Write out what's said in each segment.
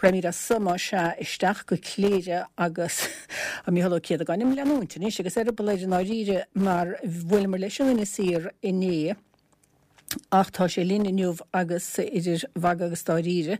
Raghaimid as so más ea isteach go Cléire agus tá Mícheál Ó Céadagáin im leanúint anois agus eireaball air i ndáiríre mar bhuaileamar leis in Inis Oírr inné ach tá sé linn inniu agus idir mhagadh agus dáiríre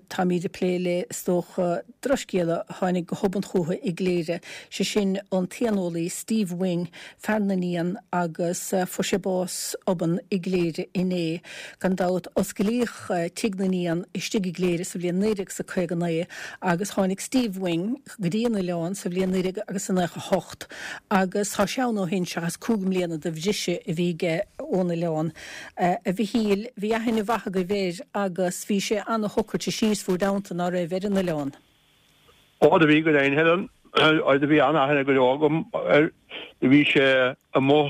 táimid ag plé le is dócha drochscéala a tháinig go hobann chucu i gCléire, sé sin an t-éaneolaí Steve Wing, fear na n-éan agus fuair sé bás obann i gCléire inné. Gan dabht osclaíodh Tigh na nÉan istigh i gCléire sa bhliain 1959 agus tháinig Steve Wing go dtí an oileán sa bhliain 1998 agus tá sé ann ó shin seachas 5 mbliana de bhriseadh a bhí aige ón oileán. A Mhichíl, bhí aithne mhaith agaibh air agus bhí sé ana-shocraite síos bhúr dteannta, ná raibh, ar an oileán? Ó, do bhí go deimhin, Helen. Do bhí an-aithne go leor agam air. Do bhí sé amuigh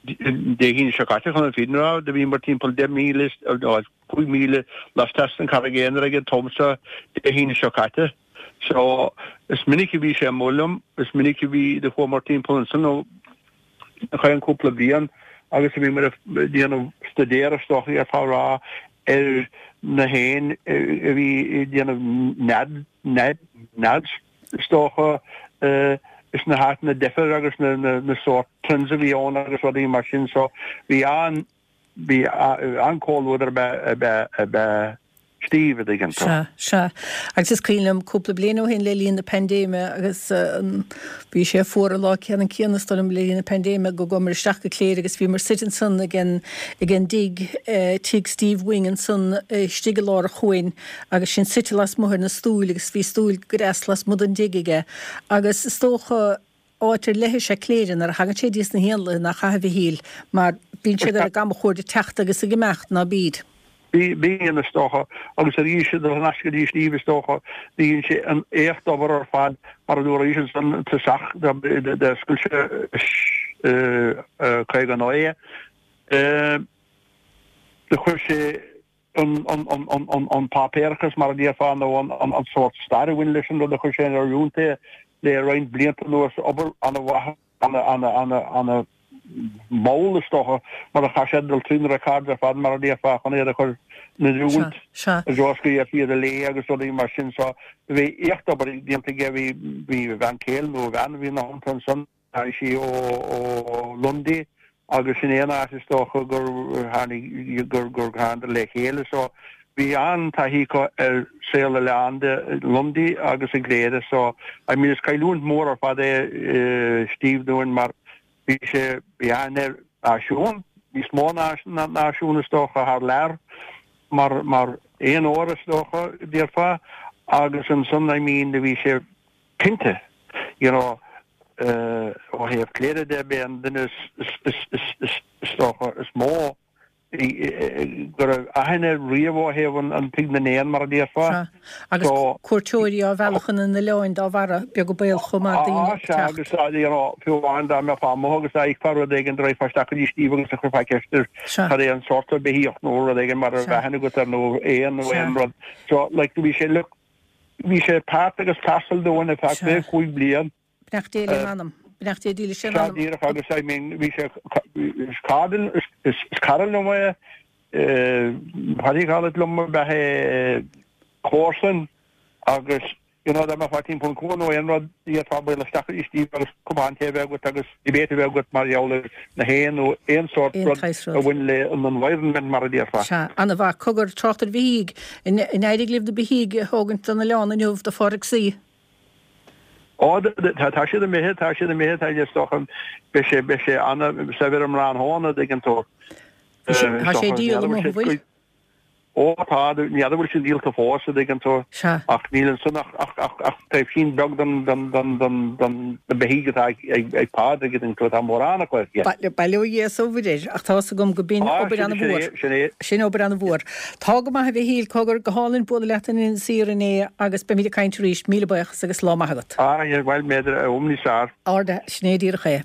Dé hAoine seo caite chun an fírinne a rá, do bhíomar timpeall 10 míle, nó 5 míle laisteas den Charraig Aonair ag an t-am seo Dé hAoine seo caite. So, is minic a bhí sé amuigh liom, is minic a bhí, do chuamar timpeall ansan ó cheann cúpla bliain agus a bhíomar ag déanamh staidéar is dócha a rá ar na héin a bhí ag déanamh nead, nead, nead. is dócha, is na háiteanna difear agus na sórt trends a bhí ann agus rudaí mar sin so bhí an, bhí an-comhluadar ab ea, ab ea Steve, a dtuigeann tú. Sea, sea. Agus is cuimhin liom cúpla bliain ó shin le linn na paindéime agus bhí sé fuar an lá ceannann céanna is dóigh liom le linn na paindéime go gcuamar isteach go Cléire agus bhíomar suite ansan ag an, ag an dtigh, tigh Steve Wing ansan istigh i lár an chuain agus sinn suite lasmuigh ar na stúil agus bhí stúil go deas lasmuigh den dtigh aige agus is dócha áit ar leith is ea Cléire nuair a thagann sé dtí na héanlaithe nach ea a Mhichíl mar bíonn siad ar a gcamachuaird ag teacht agus ag imeacht ná bíd. Bíonn is dócha agus arís ag dul thar n-ais go dtí Steve is dócha bíonn sé an éacht obair ar fad mar a dúraís ansan i dtosach d'oscail sé 59 do chuir sé an páipéarachas, mar a déarfá, nó an sórt stair a bhain leis an rud a chuir sé in oiriúint é le roinnt blianta anuas, obair an-mhaith, an-mhall is dócha, mar a chaith sé dul trí na records ar fad, mar a déarfá, chun iad a chur in oiriúint i dtreo is go bhféadfaí iad a léamh agus rudaí mar sin. So bhí éacht obair déanta aige, bhí a bhean chéile nó a bhean a bhí ina theannta ansan. Tháinig sí ó Lundy agus sin é an áit is dócha gur tháinig gur gur thánadar le chéile so bhí an-taithí acu ar saol oileáin de Lundy agus i gCléire so I mean is cailliúint mór ar fad é Steve dúinn mar bhí sé bhí aithne air náisiún níos mó ná náisiún is dócha thar lear mar mar éanóir is dócha déarfá agus ansan I mean bhí sé Cinnte, you know, ó thaobh Cléire de, b'é an duine is dócha is mó go raibh aithne air riamh ó thaobh an Tigh na nÉan, mar a déarfá. Sea, agus cuairteoirí á mhealladh chun an oileáin dá bharra, beag an baol chomh maith daoine ag teacht. Sea, agus, you know, fiú amháin dá mbeifeá amuigh agus dá bhfeicfeá rud éigin, do raghfá isteach go dtí Steve agus do chuirfeá ceist air cad é an sórt beithíoch nó rud éigin mar a raibh aithne agat air nó éan nó aon rud. So, like, bhí sé, look, Bhí sé páirt agus parcel dúinn ar feadh 25 bliain. Beannacht Dé lena anam. Beannacht Dé dílis lena anam. Sea, díreach agus I mean bhí sé is cara is cara liom é Paddy Collett liom ab ea é comharsan agus you know dá mbeifeá timpeall an cuan nó aon rud d'fhéadfá bualadh isteach go dtí Steve agus cupán tae a bheith agat agus debate a bheith agat mar gheall ar na héin nó aon sórt rud a bhain le an environment mar a déarfá. Sea, ana-mhaith. Cogar, trácht ar bheithígh. An éirigh libh na beithígh a thógaint don oileán inniu do Phádraig C? Ó, tá siad imithe, tá siad imithe, tá is dócha, beidh sé, beidh sé ana-saibhir i mBránthóin, a dtuigeann tú. Tá sé á dhíol amuigh, an bhfuil? Ó tá, ní fheadar bhfuil siad díolta fós, a dtuigeann tú. Sea. Ach níl ansan ach, ach, ach, ach taobhsín beag den, den, den, den, den, na beithígh atá ag, ag, ag Pádraig, a dtuigeann tú, tá mórán acu aige. Bail, bail ó Dhia is ó Mhuire air, ach tá's agam go b'in Á, obair sin, sin ana-mhór. é, sin é. Sin obair ana-mhór. Tá go maith a Mhichíl, cogar, go hálainn bualadh leat in Inis Oírr inné agus beimid ag caint arís. Míle buíochas agus lá maith agat. Á, bhuel, b'fhéidir, am níos fearr. Ard, sin é díreach é.